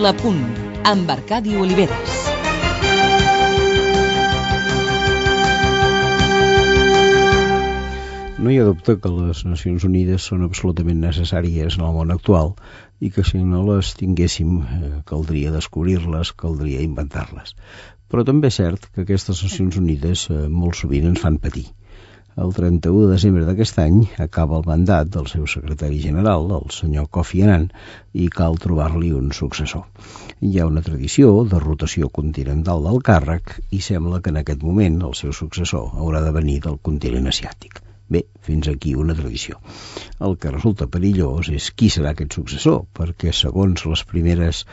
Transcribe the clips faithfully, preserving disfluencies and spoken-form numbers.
La Punt, amb Arcadi Oliveres. No hi ha dubte que les Nacions Unides són absolutament necessàries en el món actual i que si no les tinguéssim eh, caldria descobrir-les, caldria inventar-les. Però també és cert que aquestes Nacions Unides eh, molt sovint ens fan patir. El trenta-u de desembre d'aquest any acaba el mandat del seu secretari general, el senyor Kofi Annan, i cal trobar-li un successor. Hi ha una tradició de rotació continental del càrrec i sembla que en aquest moment el seu successor haurà de venir del continent asiàtic. Bé, fins aquí una tradició. El que resulta perillós és qui serà aquest successor, perquè segons les primeres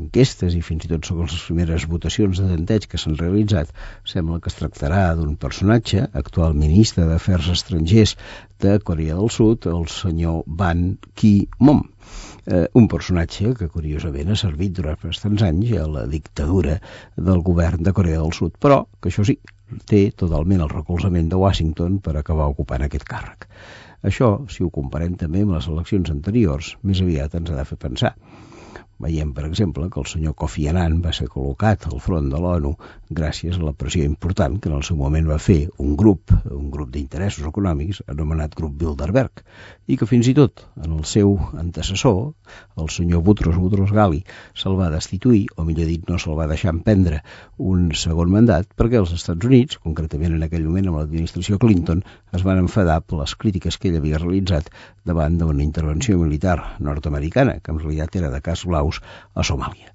enquestes i fins i tot segons les primeres votacions de tanteig que s'han realitzat, sembla que es tractarà d'un personatge, actual ministre d'Afers Estrangers de Corea del Sud, el senyor Ban Ki-moon. Eh, un personatge que curiosament ha servit durant bastants anys a la dictadura del govern de Corea del Sud, però que això sí, té totalment el recolzament de Washington per acabar ocupant aquest càrrec. Això, si ho comparem també amb les eleccions anteriors, més aviat ens ha de fer pensar. Veiem, per exemple, que el senyor Kofi Annan va ser col·locat al front de l'ONU gràcies a la pressió important que en el seu moment va fer un grup, un grup d'interessos econòmics anomenat Grup Bilderberg, i que fins i tot en el seu antecessor, el senyor Boutros Boutros Ghali, se'l va destituir, o millor dit, no se'l va deixar emprendre un segon mandat, perquè els Estats Units, concretament en aquell moment amb l'administració Clinton, es van enfadar per les crítiques que ell havia realitzat davant d'una intervenció militar nord-americana, que en realitat era de cas blaus a Somàlia.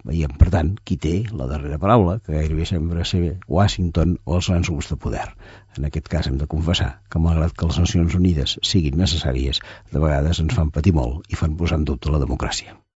Veiem, per tant, qui té la darrera paraula, que gairebé sembla ser Washington o els grans grups de poder. En aquest cas hem de confessar que, malgrat que les Nacions Unides siguin necessàries, de vegades ens fan patir molt i fan posar en dubte la democràcia.